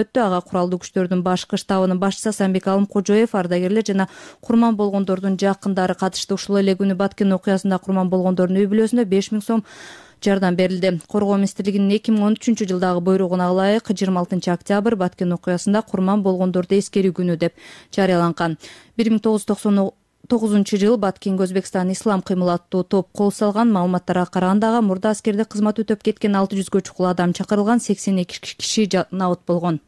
өттү. Ага куралдуу күчтөрдүн башкы штабынын башчысы Асанбек Алымкожоев, ардагерлер жана курман болгондордун жакындары катышты. Ушул эле күнү Баткен окуясында курман болгондордун үй бүлөсүнө 5000 сом жардам берилди. Коргоо министрлигинин 2013-жылдагы буйругуна ылайык 26 октябрь Баткен окуясында курман болгондорду эскерүү күнү деп жарыяланган. 1999-жылы Баткенге Өзбекстан ислам кыймыл аттуу топ кол салган. Маалыматтарга караганда ага мурда аскерде кызмат өтөп кеткен 600гө чукул адам чакырылган, 82 киши набыт болгон.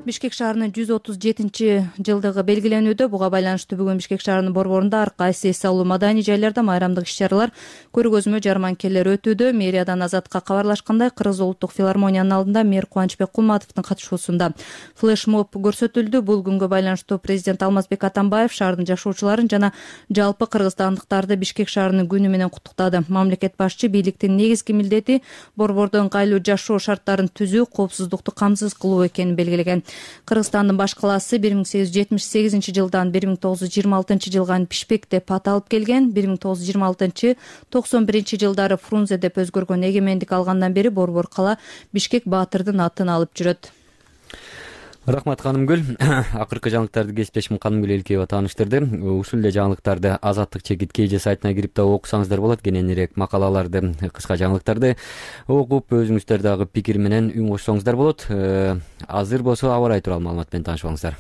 Бишкек шаарынын 137-жылдыгы белгиленүүдө. Буга байланыштуу бүгүн Бишкек шаарынын борборунда ар кайсы эс алуу маданий жайларда майрамдык иш-чаралар, көргөзмө, жарманкелер өтүүдө. Мэриядан Азатка кабарлашкандай, Кыргыз улуттук филармониянын алдында мэр Кубанычбек Кулматовдун катышуусунда флешмоб көрсөтүлдү. Бул күнгө байланыштуу президент Алмазбек Атамбаев шаардын жашоочуларын жана жалпы кыргызстандыктарды Бишкек шаарынын күнү менен куттуктады. Мамлекет башчы бийликтин негизги милдети борбордо ыңгайлуу жашоо шарттарын түзүү, коопсуздукту камсыз кылуу экенин белгилеген. Кыргызстандын баш калаасы 1878-жылдан 1926-жылга Бишкек деп аталып келген. 1926-91-жылдары Фрунзе деп өзгөргөн. Эгемендик алгандан бери борбор кала Бишкек Баатырдын атын алып жүрөт. Рахмат Канымгүл. Акыркы жаңылыктарды кесиптешим Канымгүл Элкеева тааныштырды. Ушул эле жаңылыктарды Азаттык чекит KG сайтына кирип да окусаңыздар болот. Кененирээк макалаларды, кыска жаңылыктарды окуп, өзүңүздөр дагы пикир менен үн кошсоңуздар болот. Азыр болсо аба ырайы тууралуу маалымат менен таанышып алыңыздар.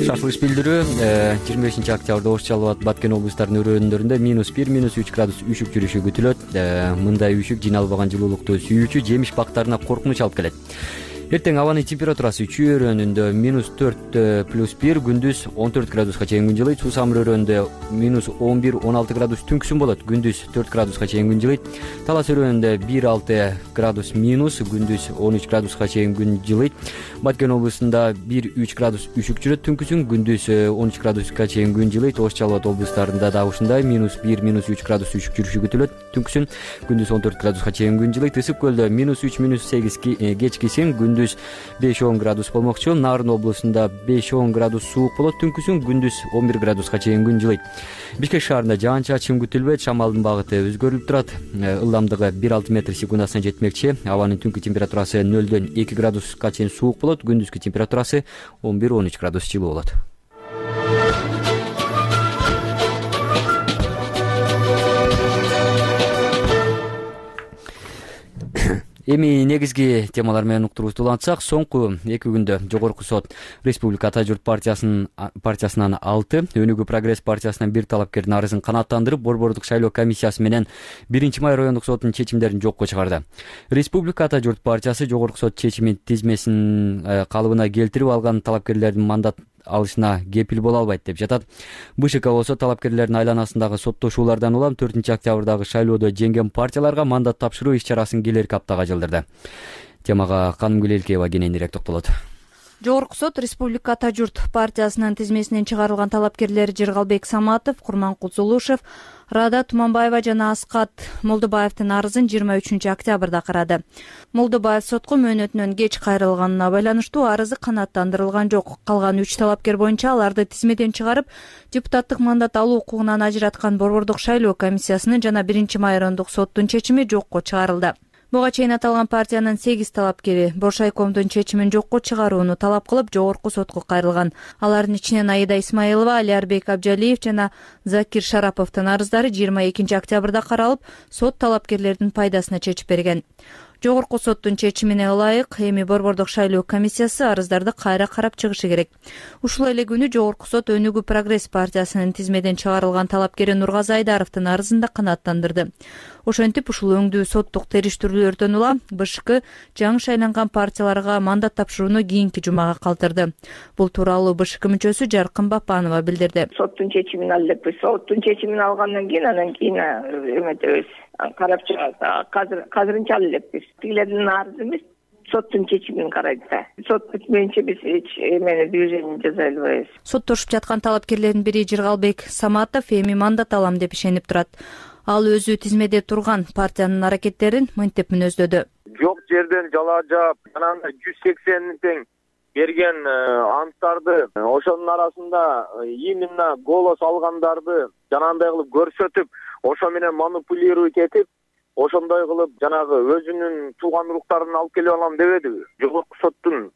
Шашылыш билдирүү 25-октябрда Ош Жалал Абад, Баткен облустарынын өрөөндарында -1, -3 градус үшүк жүрүшү күтүлөт. Мындай үшүк жиналбаган жылуулукту сүйүүчү жемиш бактарына коркунуч алып келет. Эртең абанын температурасы Чүй өрөөнүндө -4+1, күндүз 14 градуска чейин күн жылыйт. Суусамыр өрөөнүндө -11-16 градус түнкүсүн болот, күндүз 4 градуска чейин күн жылыйт. Талас өрөөнүндө 1-6 градус минус, күндүз 13 градуска чейин күн жылыйт. Баткен облусунда 1-3 градус үшүк жүрөт, түнкүсүн күндүз 13 градуска чейин күн жылыйт. Ош Жалал Абад облустарында да ушундай -1, -3 градус үшүк жүрүшү күтүлөт, түнкүсүн күндүз 14 градуска чейин күн жылыйт. Ысык көлдө -3, -8 кечкисин, күндүз 5-10 градус болмокчу. Нарын облусунда 5-10 градус суук болот, түнкүсүн күндүз 11 градуска чейин күн жылыйт. Бишкек шаарында жаан-чачын күтүлбөйт, шамалдын багыты өзгөрүлүп турат. Ылдамдыгы 1-6 метр секундасына жетмекчи. Абанын түнкү температурасы 0-2 градуска чейин суук болот, күндүзгү температурасы 11-13 градус жылуу болот. Эми негизги темалар менен уктуруубузду улантсак, соңку 2 күндө Жогорку сот Республика Ата журт партиясынан 6, Өнүгүү Прогресс партиясынан 1 талапкердин арызын канааттандырып, борбордук шайлоо комиссиясы менен 1-май райондук соттун чечимдерин жокко чыгарды. Республика Ата журт партиясы Жогорку сот чечимин тизмесин калыбына келтирип алган талапкерлердин мандат алышына кепил боло албайт деп жатат. БШК болсо талапкерлердин айланасындагы соттошуулардан улам 4-октябрдагы шайлоодо жеңген партияларга мандат тапшыруу иш-чарасын келерки аптага жылдырды. Темага Канымгүл Элкеева кененирээк токтолот. Жогорку сот Республика Ата журт партиясынын тизмесинен чыгарылган талапкерлер Жыргалбек Саматов, Курманкул Зулушев, Рада Туманбаева жана Аскат Молдобаевдин арызын 23-октябрда карады. Молдобаев сотко мөөнөтүнөн кеч кайрылганына байланыштуу арызы канааттандырылган жок. Калган 3 талапкер боюнча аларды тизмеден чыгарып, депутаттык мандат алуу укугунан ажыраткан борбордук шайлоо комиссиясынын жана 1-май райондук соттун чечими жокко чыгарылды. Буга чейин аталган партиянын 8 талапкери Боршайкомдун чечимин жокко чыгарууну талап кылып, Жогорку сотко кайрылган. Алардын ичинен Аида Исмаилова, Алиарбек Абжалиев жана Закир Шараповдун арыздары 22-октябрда каралып, сот талапкерлердин пайдасына чечип берген. Жогорку соттун чечимине ылайык эми борбордук шайлоо комиссиясы арыздарды кайра карап чыгышы керек. Ушул эле күнү Жогорку сот Өнүгүү Прогресс партиясынын тизмеден чыгарылган талапкери Нургазы Айдаровдун арызын да канааттандырды. Ошентип ушул өңдүү соттук териштирүүлөрдөн улам БШК жаңы шайланган партияларга мандат тапшырууну кийинки жумага калтырды. Бул тууралуу БШК мүчөсү Жаркын Бапанова билдирди. Соттун чечимин алып, соттун чечимин алгандан кийин эметебиз. Карап чыгат. Казырынча элекпиз. Тигилердин арызы эмес, соттун чечимин карайт да. Сот бүтмөйүнчө биз эч эмени движение жасай албайбыз. Соттошуп жаткан талапкерлердин бири Жыргалбек Саматов эми мандат алам деп ишенип турат. Ал өзү тизмеде турган партиянын аракеттерин мынтип мүнөздөдү. Жок жерден жала жаап, анан 180 тең берген анттарды, ошонун арасында именно голос алгандарды жанагындай кылып көрсөтүп, ошо менен манипулировать этип, ошондой кылып жанагы өзүнүн тууган уруктарын алып келип алам дебедиби? Жогорку соттун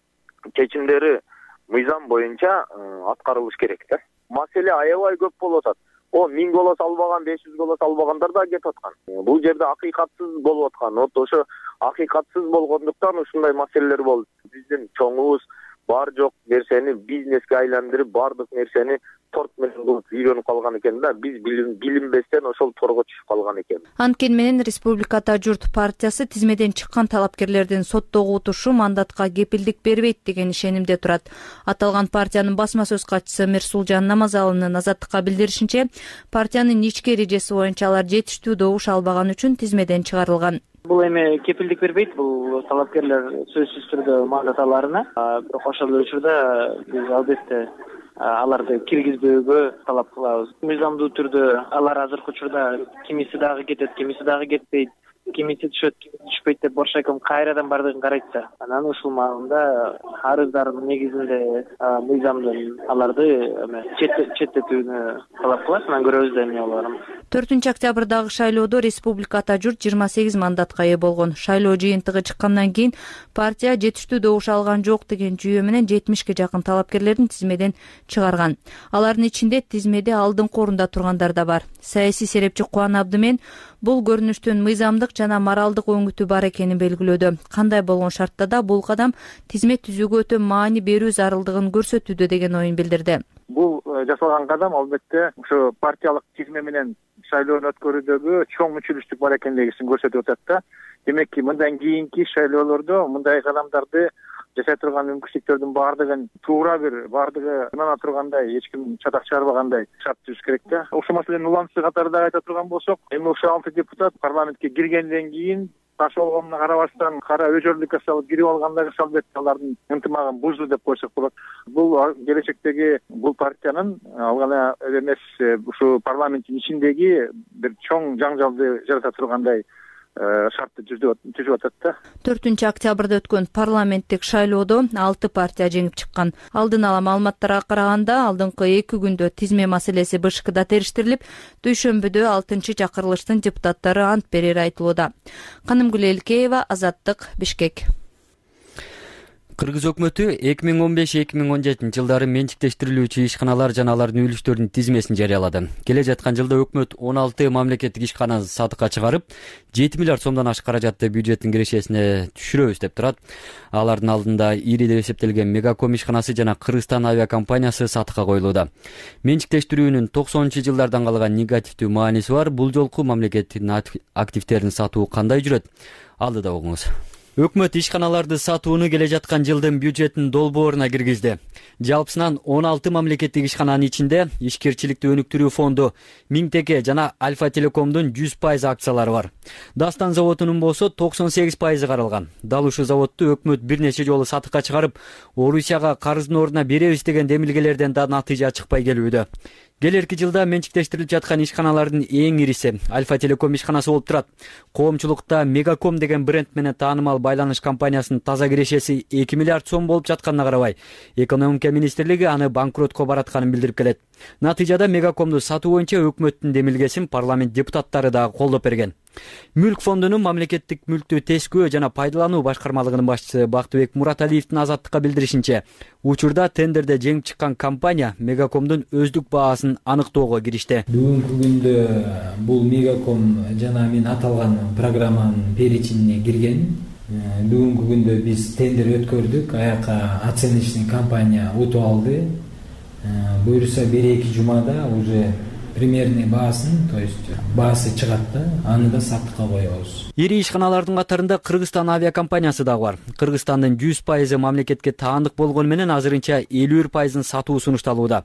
чечимдери мыйзам боюнча аткарылыш керек да. Маселе аябай көп болуп атат. 1000 голос албаган, 500 голос албагандар да кетип аткан. Бул жерде акыйкатсыз болуп аткан. Вот ошо акыйкатсыз болгондуктан ушундай маселелер болду. Биздин чоңубуз бар жок нерсени бизнеске айландырып, бардык нерсени торт менен кылып үйрөнүп калган экен да. Биз билинбестен ошол торго түшүп калган экен. Анткени менен Республиката журт партиясы тизмеден чыккан талапкерлердин соттогу утушу мандатка кепилдик бербейт деген ишенимде турат. Аталган партиянын басма сөз катчысы Мирсулжан Намазалынын Азаттыкка билдиришинче, партиянын ички эрежеси боюнча алар жетиштүү добуш албаган үчүн тизмеден чыгарылган. Бул эми кепилдик бербейт, бул талапкерлер сөзсүз түрдө мандат аларына. Бирок ошол учурда биз албетте аларды киргизбөөгө талап кылабыз. Мыйзамдуу түрдө алар азыркы учурда кимиси дагы кетет, кимиси дагы кетпейт, кимиси түшөт, түшпөйт деп Боршайком кайрадан бардыгын карайт да. Анан ушул маалында арыздардын негизинде мыйзамдын аларды четтетүүнү талап кылат. Анан көрөбүз да эмне болоорун. 4 октябрдагы шайлоодо Республиката журт 28 мандатка ээ болгон. Шайлоо жыйынтыгы чыккандан кийин партия жетиштүү добуш алган жок деген жүйө менен 70ке жакын талапкерлерин тизмеден чыгарган. Алардын ичинде тизмеде алдыңкы орунда тургандар да бар. Саясий серепчи Кубан Абдымен бул көрүнүштүн мыйзамдык жана моралдык өңүтү бар экенин белгилөөдө. Кандай болгон шартта да бул кадам тизме түзүүгө өтө маани берүү зарылдыгын көрсөтүүдө деген оюн билдирди. Бул жасалган кадам албетте ошо партиялык тизме менен шайлоону өткөрүүдөгү чоң мүчүлүштүк бар экендигин көрсөтүп атат да. Демек, мындан кийинки шайлоолордо мындай кадамдарды жасай турган мүмкүнчүлүктөрдүн баардыгын туура баардыгы ынана тургандай, эч ким чатак чыгарбагандай шарт түзүш керек да. Ошол маселенин уланысы катарында айта турган болсок, эми ошо 6 депутат парламентке киргенден кийин таш болгонуна карабастан кара өжөрлүккө салып кирип алгандыгы албетте алардын ынтымагын бузду деп койсок болот. Бул келечектеги бул партиянын ал гана эмес, ушу парламенттин ичиндеги бир чоң жаңжалды жарата тургандай шартты түзүп атат да. 4 октябрда өткөн парламенттик шайлоодо 6 партия жеңип чыккан. Алдын ала маалыматтарга караганда, алдыңкы 2 күндө тизме маселеси БШКда териштирилип, дүйшөмбүдө 6-чакырылыштын депутаттары ант берери айтылууда. Канымгүл Элкеева, Азаттык, Бишкек. Кыргыз өкмөтү 2015-2017 жылдары менчиктештирилүүчү ишканалар жана алардын үлүштөрүнүн тизмесин жарыялады. Келе жаткан жылда өкмөт 16 мамлекеттик ишкана сатыкка чыгарып, 7 миллиард сомдон ашык каражатты бюджеттин кирешесине түшүрөбүз деп турат. Алардын алдында ири деп эсептелген Мегаком ишканасы жана Кыргызстан авиакомпаниясы сатыкка коюлууда. Менчиктештирүүнүн 90-жылдардан калган негативдүү мааниси бар. Бул жолку мамлекеттин активтерин сатуу кандай жүрөт? Алдыда угуңуз. Өкмөт ишканаларды сатууну келе жаткан жылдын бюджеттин долбооруна киргизди. Жалпысынан 16 мамлекеттик ишкананын ичинде ишкерчиликти өнүктүрүү фонду, Миңтеке жана Альфа Телекомдун 100% акциялары бар. Дастан заводунун болсо 98% каралган. Дал ушул заводду өкмөт бир нече жолу сатыкка чыгарып, Орусияга карыздын ордуна беребиз деген демилгелерден да натыйжа чыкпай келүүдө. Келерки жылда менчиктештирилип жаткан ишканалардын эң ириси Альфа Телеком ишканасы болуп турат. Коомчулукта Мегаком деген бренд менен таанымал байланыш компаниясынын таза кирешеси 2 миллиард сом болуп жатканына карабай, экономика министрлиги аны банкротко баратканын билдирип келет. Натыйжада Мегакомду сатуу боюнча өкмөттүн демилгесин парламент депутаттары да колдоп берген. Мүлк фондунун мамлекеттик мүлктү тескөө жана пайдалануу башкармалыгынын башчысы Бактыбек Мураталиевдин Азаттыкка билдиришинче, учурда тендерде жеңип чыккан компания Мегакомдун өздүк баасын аныктоого киришти. Бүгүнкү күндө бул Мегаком жана мен аталган программанын перечинине кирген. Бүгүнкү күндө биз тендер өткөрдүк, аяка оценочный компания утуп алды. Буюрса 1-2 жумада уже примерный баасын, то есть баасы чыгат да, аны да сатыкка коебуз. Ири ишканалардын катарында Кыргызстан авиакомпаниясы да бар. Кыргызстандын 100% мамлекетке таандык болгону менен азырынча 51% сатуу сунушталууда.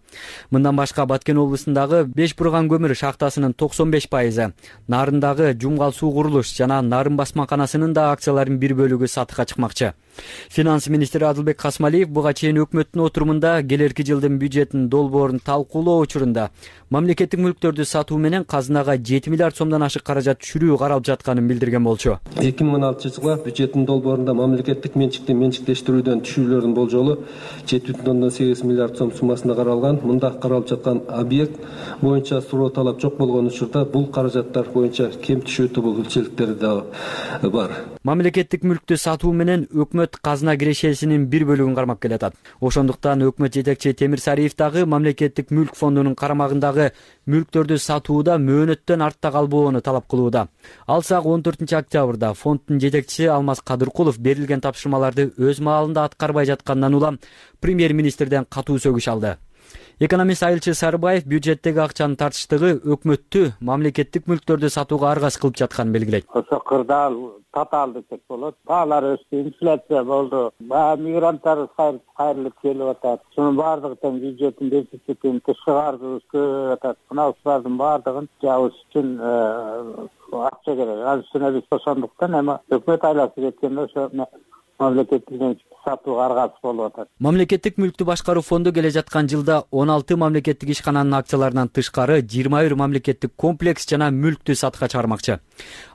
Мындан башка Баткен облусундагы 5 бурган көмүр шахтасынын 95%, Нарындагы Жумгал суу курулуш жана Нарын басмаканасынын да акцияларынын бир бөлүгү сатыкка чыкмакчы. Финанс министри Адылбек Касмалиев буга чейин өкмөттүн отурумунда келерки жылдын бюджетинин долбоорун талкуулоо учурунда мамлекеттик мүлктөрдү сатуу менен казынага 7 миллиард сомдон ашык каражат түшүрүү каралып жатканын билдирген болчу. 2016-жылга бюджеттин долбоорунда мамлекеттик менчикти менчиктештирүүдөн түшүүлөрдүн болжолу 7,8 миллиард сом суммасында каралган. Мында каралып жаткан объект боюнча суроо талап жок болгон учурда бул каражаттар боюнча кем түшүү тобокелчиликтери да бар. Мамлекеттик мүлктү сатуу менен өкмөт казына кирешесинин бир бөлүгүн кармап келатат. Ошондуктан өкмөт жетекчи Темир Сариев дагы мамлекеттик мүлк фондунун карамагындагы мүлктөрдү сатууда мөөнөттөн артта калбоону талап кылууда. Алсак 14-октябрда фонддун жетекчиси Алмаз Кадыркулов берилген тапшырмаларды өз маалында аткарбай жаткандан улам премьер-министрден катуу сөгүш алды. Экономист Айылчы Сарыбаев бюджеттеги акчанын тартыштыгы өкмөттү мамлекеттик мүлктөрдү сатууга аргас кылып жатканын белгилейт. Ошо кырдаал татаал десек болот. Баалар өстү, инфляция болду. Мигранттар кайрылып келип атат. Шунун баардыгы тең бюджеттин дефицитин чыгарыбыз көбөйүп атат. Мына ушулардын баардыгын жабыш үчүн акча керек. Ал үчүн биз ошондуктан эми өкмөт айласы кеткенде ошо мамлекеттик сатууга аргасы болуп атат. Мамлекеттик мүлктү башкаруу фонду келе жаткан жылда 16 мамлекеттик ишкананын акцияларынан тышкары 21 мамлекеттик комплекс жана мүлктү сатка чыгармакчы.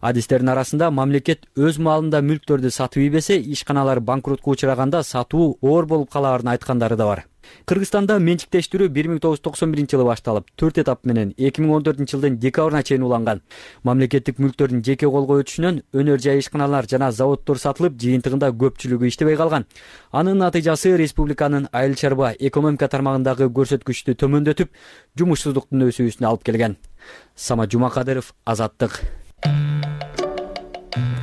Адистердин арасында мамлекет өз маалында мүлктөрдү сатып ийбесе, ишканалар банкротко учураганда сатуу оор болуп калаарын айткандары да бар. Кыргызстанда менчиктештирүү 1991-жылы башталып, 4 этап менен 2014-жылдын декабрына чейин уланган. Мамлекеттик мүлктөрдүн жеке колго өтүшүнөн өнөр жай ишканалар жана заводдор сатылып, жыйынтыгында көпчүлүгү иштебей калган. Анын натыйжасы республиканын айыл чарба экономика тармагындагы көрсөткүчтү төмөндөтүп, жумушсуздуктун өсүүсүнө алып келген. Самат Жумакадыров, Азаттык.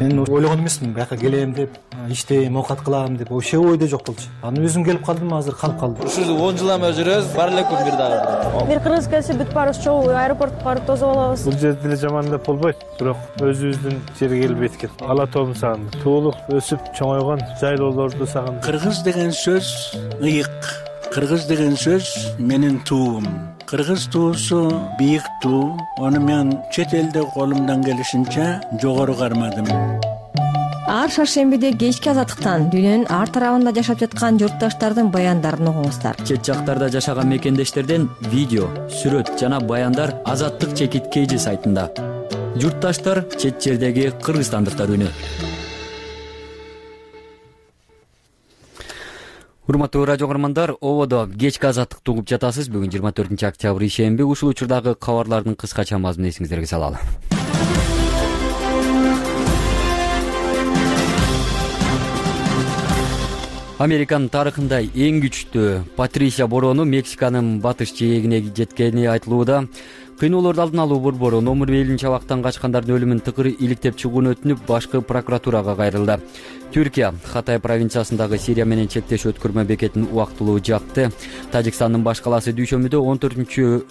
Мен ойлогон эмесмин, бияка келем деп, иштейм, оокат кылам деп, вообще ойдо жок болчу. Аны өзүм келип калдым, азыр калып калдым. Ушул 10 жыл эме жүрөбүз, бар элекпи бир дагы. Бир кыргыз келсе бүт баарыбыз чогуу аэропортко барып тосуп алабыз. Бул жерде деле жаман деп болбойт, бирок өзүбүздүн жерге келип жеткен. Ала тоом сагындым. Туулуп, өсүп, чоңойгон жайлоолорду сагындым. Кыргыз деген сөз ыйык. Кыргыз деген сөз менин туум. Кыргыз туусу бийик туу. Аны мен чет элде колумдан келишинче жогору кармадым. Ар шаршембиде кечки Азаттыктан дүйнөнүн ар тарабында жашап жаткан журтташтардын баяндарын угуңуздар. Чет жактарда жашаган мекендештерден видео, сүрөт жана баяндар Азаттык /KG сайтында. Журтташтар чет жердеги кыргызстандыктар үнү. Урматтуу радио көрөрмандар, ободо кечки Азаттыкты угуп жатасыз. Бүгүн 24-октябрь ишемби. Ушул учурдагы кабарлардын кыскача мазмунун эсиңиздерге салалы. Американын тарыхында эң күчтүү Патрисия бороону Мексиканын батыш жээгине жеткени айтылууда. Кыйноолорду алдын алуу борбору номер белгилүү чабактан качкандардын өлүмүн тыкыр иликтеп чыгууну өтүнүп, башкы прокуратурага кайрылды. Түркия Хатай провинциясындагы Сирия менен чектеш өткөрмө бекетин убактылуу жапты. Тажикстандын баш калаасы дүйшөмбүдө 14-чү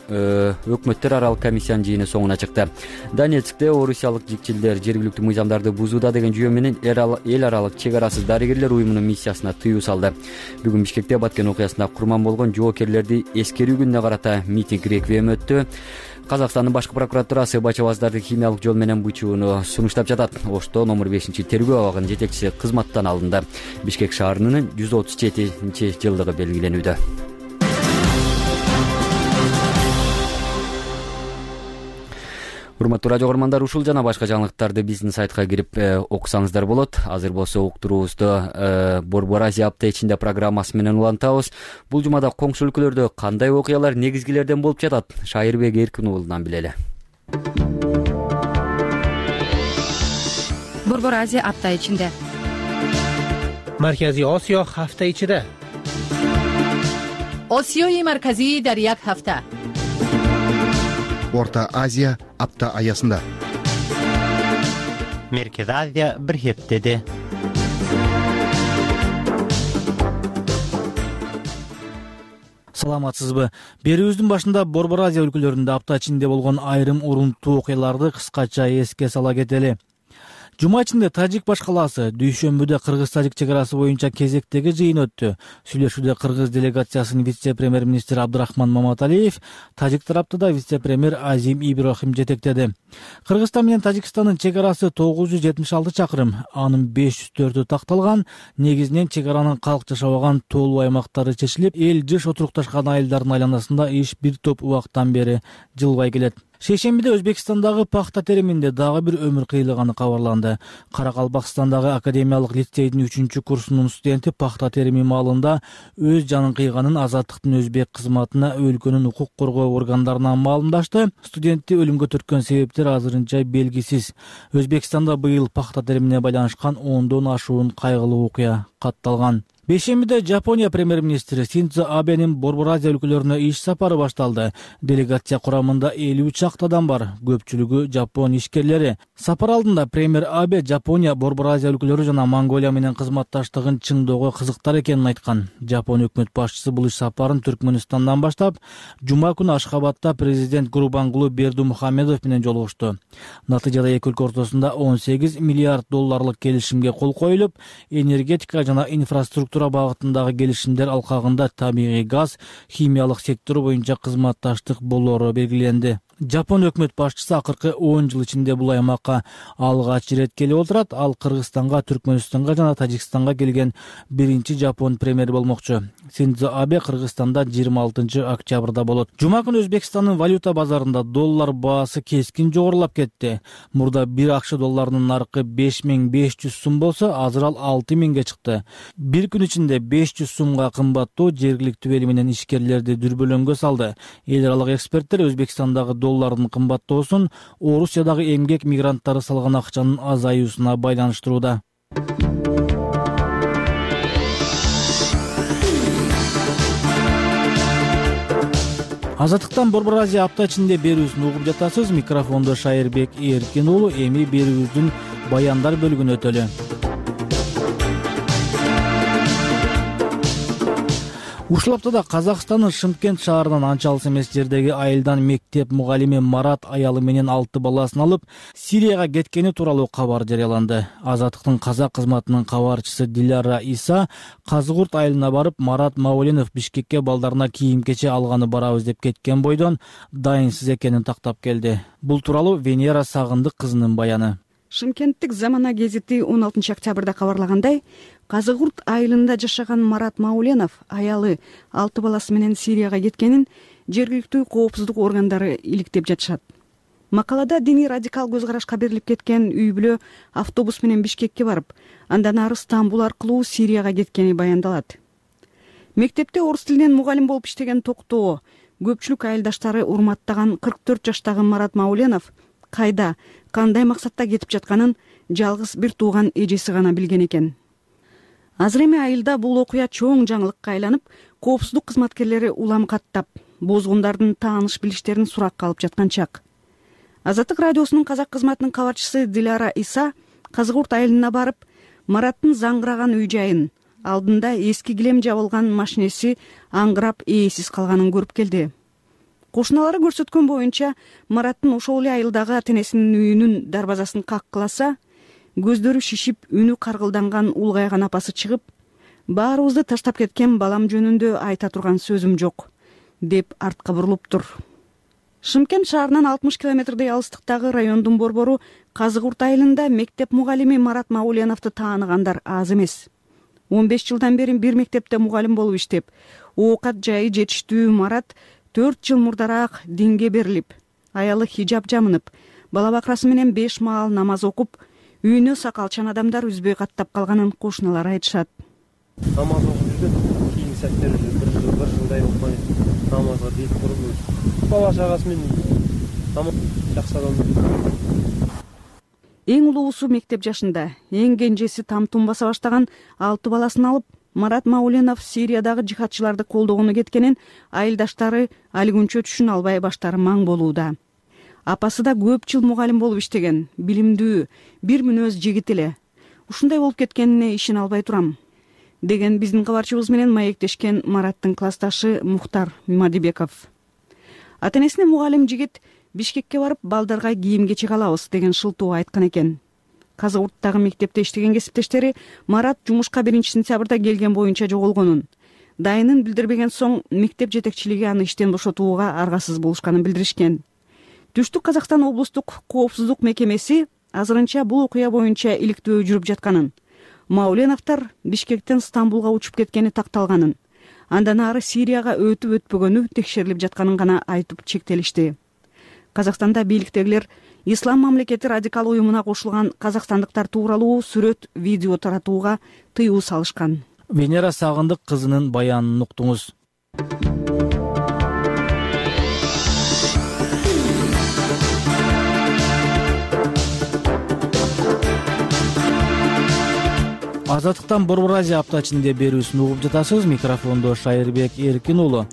өкмөттөр аралык комиссиянын жыйыны соңуна чыкты. Донецкте орусиялык жикчилдер жергиликтүү мыйзамдарды бузууда деген жүйө менен эл аралык чек арасыз дарыгерлер уюмунун миссиясына тыюу салды. Бүгүн Бишкекте Баткен окуясында курман болгон жоокерлерди эскерүү күнүнө карата митинг реквием өттү. Казакстандын башкы прокуратурасы бачабаздарды химиялык жол менен бычууну сунуштап жатат. Ошто номер 5-тергөө абагынын жетекчиси кызматтан алынды. Бишкек шаарынын 137-жылдыгы белгиленүүдө. Урматтуу радио көрөрмандар, ушул жана башка жаңылыктарды биздин сайтка кирип окусаңыздар болот. Азыр болсо уктуруубузду Борбор Азия апта ичинде программасы менен улантабыз. Бул жумада коңшу өлкөлөрдө кандай окуялар негизгилерден болуп жатат? Шайырбек Эркин уулунан билели. Борбор Азия апта ичинде. Марказий Осиё ҳафта ичида. Осиёи марказӣ дар як ҳафта. Орта Азия апта аясында. Меркез Азия бир хептеде. Саламатсызбы? Берүүбүздүн башында Борбор Азия өлкөлөрүндө апта ичинде болгон айрым урунттуу окуяларды кыскача эске сала кетели. Жума ичинде Тажик баш калаасы дүйшөмбүдө кыргыз-тажик чек арасы боюнча кезектеги жыйын өттү. Сүйлөшүүдө кыргыз делегациясынын вице-премьер-министри Абдырахман Маматалиев, тажик тарапты да вице-премьер Азим Иброхим жетектеди. Кыргызстан менен Тажикстандын чек арасы 976 чакырым, анын 504-ü такталган. Негизинен чек аранын калк жашабаган тоолуу аймактары чечилип, эл жыш отурукташкан айылдардын айланасында иш бир топ убактан бери жылбай келет. Шейшембиде Өзбекстандагы пахта териминде дагы бир өмүр кыйылганы кабарланды. Каракалпакстандагы академиялык лицейдин 3-курсунун студенти пахта терими маалында өз жанын кыйганын Азаттыктын өзбек кызматына өлкөнүн укук коргоо органдарынан маалымдашты. Студентти өлүмгө төрткөн себептер азырынча белгисиз. Өзбекстанда быйыл пахта теримине байланышкан 10дон ашуун кайгылуу окуя катталган. Бейшембиде Жапония премьер-министри Синдзо Абенин Борбор Азия өлкөлөрүнө иш сапары башталды. Делегация курамында 50 чакты адам бар, көпчүлүгү жапон ишкерлери. Сапар алдында премьер Абе Жапония, Борбор Азия өлкөлөрү жана Монголия менен кызматташтыгын чыңдоого кызыктар экенин айткан. Жапон өкмөт башчысы бул иш сапарын Түркмөнстандан баштап, жума күнү Ашхабадта президент Гурбангулы Бердумухамедов менен жолугушту. Натыйжада эки өлкө ортосунда $18 миллиард келишимге кол коюлуп, энергетика жана инфраструктура багытындагы келишимдер алкагында табигый газ, химиялык сектору боюнча кызматташтык болоору белгиленди. Жапон өкмөт башчысы акыркы 10 жыл ичинде бул аймакка алгач ирет келип отурат. Ал Кыргызстанга, Түркмөнстанга жана Тажикстанга келген биринчи жапон премьери болмокчу. Синдзо Абе Кыргызстанда 26 октябрда болот. Жума күнү Өзбекстандын валюта базарында доллар баасы кескин жогорулап кетти. Мурда бир акш долларынын наркы 5500 сум болсо, азыр ал 6000ге чыкты. Бир күн ичинде 500 сумга кымбаттоо жергиликтүү эл менен ишкерлерди дүрбөлөңгө салды. Эл аралык эксперттер Өзбекстандагы доллардын кымбаттоосун Орусиядагы эмгек мигранттары салган акчанын азаюусуна байланыштырууда. Азаттыктан Борбор Азия апта ичинде берүүсүн угуп жатасыз. Микрофондо Шайырбек Эркин уулу. Эми берүүбүздүн баяндар бөлүгүнө өтөлү. Ушул аптада Казакстандын Шымкент шаарынан анча алыс эмес жердеги айылдан мектеп мугалими Марат аялы менен 6 баласын алып Сирияга кеткени тууралуу кабар жарыяланды. Азаттыктын казак кызматынын кабарчысы Диляра Иса Казыгурт айылына барып, Марат Мауленов Бишкекке балдарына кийим-кече алганы барабыз деп кеткен бойдон дайынсыз экенин тактап келди. Бул тууралуу Венера Сагындык кызынын баяны. Шымкенттик Замана гезити 16 октябрда кабарлагандай, Казыгурт айылында жашаган Марат Мауленов аялы 6 баласы менен Сирияга кеткенин жергиликтүү коопсуздук органдары иликтеп жатышат. Макалада диний радикал көз карашка берилип кеткен үй бүлө автобус менен Бишкекке барып, андан ары Стамбул аркылуу Сирияга кеткени баяндалат. Мектепте орус тилинен мугалим болуп иштеген Токтоо көпчүлүк айылдаштары урматтаган 44 жаштагы Марат Мауленов кайда, кандай максатта кетип жатканын жалгыз бир тууган эжеси гана билген экен. Азыр эми айылда бул окуя чоң жаңылыкка айланып, коопсуздук кызматкерлери улам каттап, бозгундардын тааныш билиштерин суракка алып жаткан чак. Азаттык радиосунун казак кызматынын кабарчысы Диляра Иса Казыгурт айылына барып, Мараттын заңгыраган үй жайын, алдында эски килем жабылган машинеси аңгырап ээсиз калганын көрүп келди. Кошуналары көрсөткөн боюнча, Мараттын ошол эле айылдагы ата-энесинин үйүнүн дарбазасын каккыласа, көздөрү шишип, үнү каргылданган улгайган апасы чыгып, баарыбызды таштап кеткен балам жөнүндө айта турган сөзүм жок, деп артка бурулуптур. Шымкент шаарынан 60 километрдей алыстыктагы райондун борбору Казыгурт айылында мектеп мугалими Марат Мауленовду тааныгандар аз эмес. 15 жылдан бери бир мектепте мугалим болуп иштеп, оокат жайы жетиштүү Марат 4 жыл мурдараак динге берилип, аялы хижаб жамынып, бала бакрасы менен 5 маал намаз окуп, үйүнө сакалчан адамдар үзбөй каттап калганын кошуналар айтышат. Намаз окуп жүргөн, кийинки сәттер бир жылдай окуй, намазга бет буруп, бала чагасы менен намаз жакшы адам. Эң улуусу мектеп жашында, эң кенжеси там-тум баса баштаган 6 баласын алып, Марат Мауленов Сириядагы жихадчыларды колдогону кеткенин айылдаштары али күнчө түшүнө албай баштары маң болууда. Апасы да көп жыл мугалим болуп иштеген, билимдүү, бир мүнөз жигит эле. Ушундай болуп кеткенине ишене албай турам, деген биздин кабарчыбыз менен маектешкен Мараттын классташы Мухтар Мадибеков. Ата-энесине мугалим жигит Бишкекке барып балдарга кийим-кечек алабыз деген шылтоо айткан экен. Казы Урттагы мектепте иштеген кесиптештери Марат жумушка 1-сентябрда келген боюнча жоголгонун, дайынын билдирбеген соң мектеп жетекчилиги аны иштен бошотууга аргасыз болушканын билдиришкен. Түштүк Казакстан облустук коопсуздук мекемеси азырынча бул окуя боюнча иликтөө жүрүп жатканын, Мауленовдор Бишкектен Стамбулга учуп кеткени такталганын, андан ары Сирияга өтүп өтпөгөнү текшерилип жатканын гана айтып чектелишти. Казакстанда бийликтегилер Ислам мамлекети радикал уюмуна кошулган казакстандыктар тууралуу сүрөт, видео таратууга тыюу салышкан. Венера Сагындык кызынын баянын уктуңуз. Азаттыктан Борбор Азия апта ичинде берүүсүн угуп жатасыз. Микрофондо Шайырбек Эркин уулу.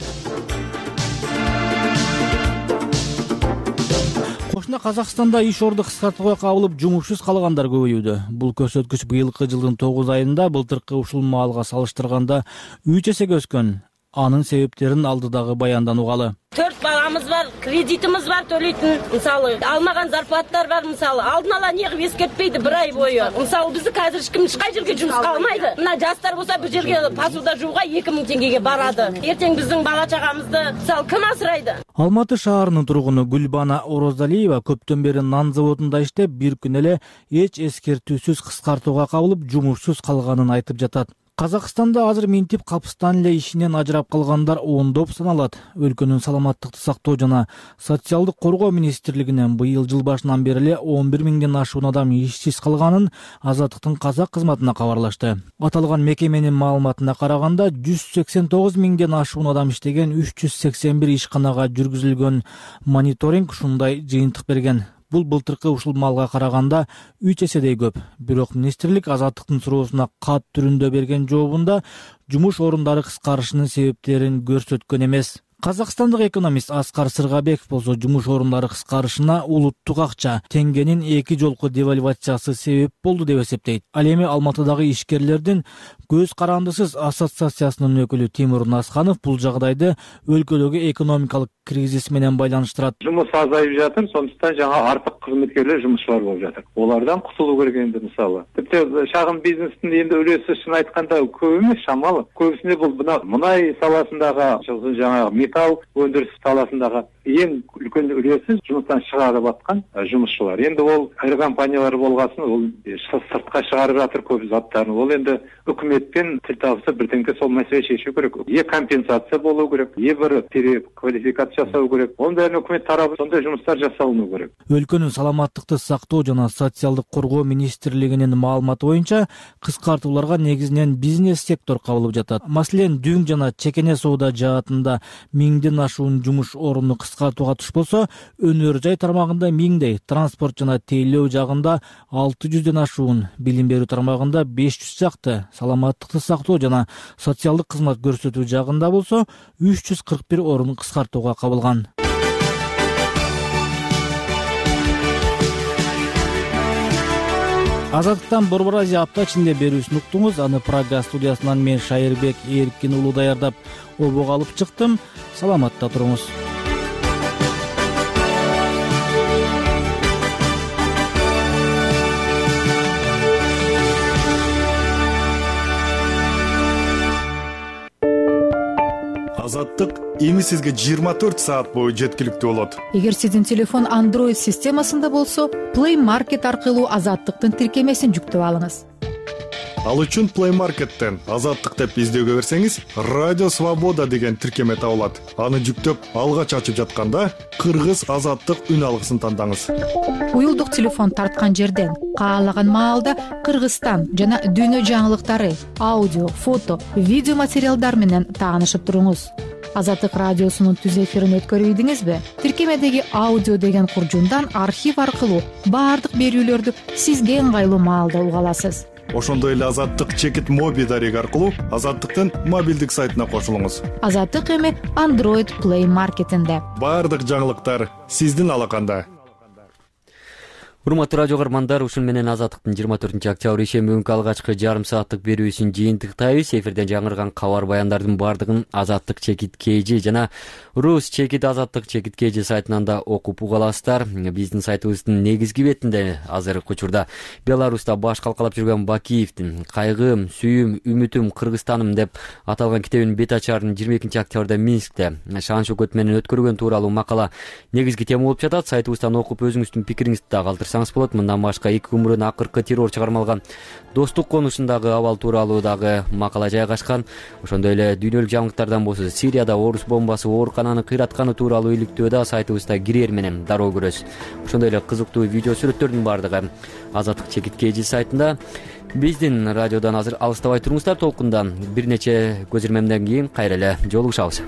Кошуна Казакстанда иш орду кыскартууга кабылып, жумушсуз калгандар көбөйүүдө. Бул көрсөткүч быйылкы жылдын 9 айында былтыркы ушул маалга салыштырганда 3 эсеге өскөн. Анын себептерин алдыдагы баяндан угалы. 4 баламыз бар, кредитimiz бар төлөйтүн. Мисалы, алмаган зарплаттар бар, мисалы. Алдын ала негип эскертпейди 1 ай бою. Мисалы, бизди азыр эч ким ешкай жерге жумушка алмайды. Мына жастар болсо бир жерге посуда жууга 2000 теңгеге барады. Эртең биздин бала чагамызды мисалы ким асырайды? Алматы шаарынын тургуну Гүлбана Орозалиева көптөн бери нан заводунда иштеп, бир күн эле эч эскертүүсүз кыскартууга кабылып, жумушсуз калганын айтып жатат. Казакстанда азыр минтип капыстан эле ишинен ажырап калгандар ондоп саналат. Өлкөнүн саламаттыкты сактоо жана социалдык коргоо министрлигинен быйыл жыл башынан бери эле 11 миңден ашуун адам ишсиз калганын Азаттыктын казак кызматына кабарлашты. Аталган мекеменин маалыматына караганда 189 миңден ашуун адам иштеген 381 ишканага жүргүзүлгөн мониторинг ушундай жыйынтык берген. Бул былтыркы ушул маалга караганда 3 эседей көп. Бирок министрлик Азаттыктын суроосуна кат түрүндө берген жообунда жумуш орундары кыскарышынын себептерин көрсөткөн эмес. Казакстандык экономист Аскар Сыргабеков болсо жумуш орундары кыскарышына улуттук акча, теңгенин 2 жолку девальвациясы себеп болду деп эсептейт. Ал эми Алматыдагы ишкерлердин көз карандысыз ассоциациясынын өкүлү Тимур Насханов бул жагдайды өлкөдөгү экономикалык кризис менен байланыштырат. Жумуш азайып жатыр, сондуктан жаңа артык кызматкерлер жумушчулар болуп жатыр. Олардан кутулуу керек энди мисалы. Типти шагын бизнестин энди үлөсү чын айтканда көп эмес, шамалы. Көбүсүнө бул мунай саласындагы, жаңа металл өндүрүш саласындагы эң үлкөн үлөсү жумуштан чыгарып аткан жумушчулар. Энди ол айры компаниялар болгосын, ол сыртка чыгарып жатыр көп заттарын. Ол энди өкмөттөн тил табылса бирденке сол маселе чечүү керек. Компенсация болуу керек, бир переквалификация жасау керек. Онда өкмөт тарабы сондай жумуштар жасалынуу керек. Өлкөнүн саламаттыкты сактоо жана социалдык коргоо министрлигинин маалыматы боюнча кыскартууларга негизинен бизнес сектор кабылып жатат. Маселен, дүң жана чекене соода жаатында 1000ден ашуун жумуш орунду кыскартууга туш болсо, өнөр жай тармагында 1000дей, транспорт жана тейлөө жагында 600ден ашуун, билим берүү тармагында 500 жакты, саламаттыкты сактоо жана социалдык кызмат көрсөтүү жагында болсо 341 орун кыскартууга кабылган. Азаттыктан Борбор Азия апта ичинде берүүсүн уктуңуз. Аны Прага студиясынан мен Шайырбек Эркин уулу даярдап, обого алып чыктым. Саламатта туруңуз. Азаттык эми сизге 24 саат бою жеткиликтүү болот. Эгер сиздин телефон Android системасында болсо, Play Market аркылуу Азаттыктын тиркемесин жүктөп алыңыз. Ал үчүн Play Market'тен Азаттык деп издөөгө берсеңиз, Радио Свобода деген тиркеме табылат. Аны жүктөп, алгач ачып жатканда Кыргыз Азаттык үн алгысын тандаңыз. Уюлдук телефон тарткан жерден каалаган маалда Кыргызстан жана дүйнө жаңылыктары, аудио, фото, видео материалдар менен таанышып туруңуз. Азаттык радиосунун түз эфирин өткөрүбүдүңүзбү? Тиркемедеги аудио деген куржундан архив аркылуу баардык берүүлөрдү сизге ыңгайлуу маалда уга аласыз. Ошондой эле Азаттык чекит моби дареги аркылуу Азаттыктын мобилдик сайтына кошулуңуз. Азаттык эми Android Play Market'инде. Баардык жаңылыктар сиздин алаканда. Урматтуу радио каармандар, ушун менен Азаттыктын 24-октябрь ишемби күнкү алгачкы жарым сааттык берүүсүн жыйынтыктайбыз. Эфирден жаңырган кабар баяндардын баардыгын Азаттык чекит KG жана Рус чекит Азаттык чекит KG сайтынан да окуп уга аласыздар. Биздин сайтыбыздын негизги бетинде азыркы учурда Беларуста баш калкалап жүргөн Бакиевдин "Кайгым, сүйүм, үмүтүм, Кыргызстаным" деп аталган китебинин бет ачарын 22-октябрда Минскте шан шөкөт менен өткөргөн тууралуу макала негизги тема болуп жатат. Сайтыбыздан окуп өзүңүздүн пикириңизди да калтырсаңыз болот. Мындан башка 2 өмүрүн акыркы террор чыгармалган Достук конушундагы абал тууралуу дагы макала жайгашкан. Ошондой эле дүйнөлүк жаңылыктардан болсо Сирияда орус бомбасы оорукананы кыйратканы тууралуу иликтөө да сайтыбызда кирээр менен дароо көрөсүз. Ошондой эле кызыктуу видео сүрөттөрдүн баардыгы Азаттык чекит KG сайтында. Биздин радиодан азыр алыстабай туруңуздар. Толкундан бир нече көз ирмемден кийин кайра эле жолугушабыз.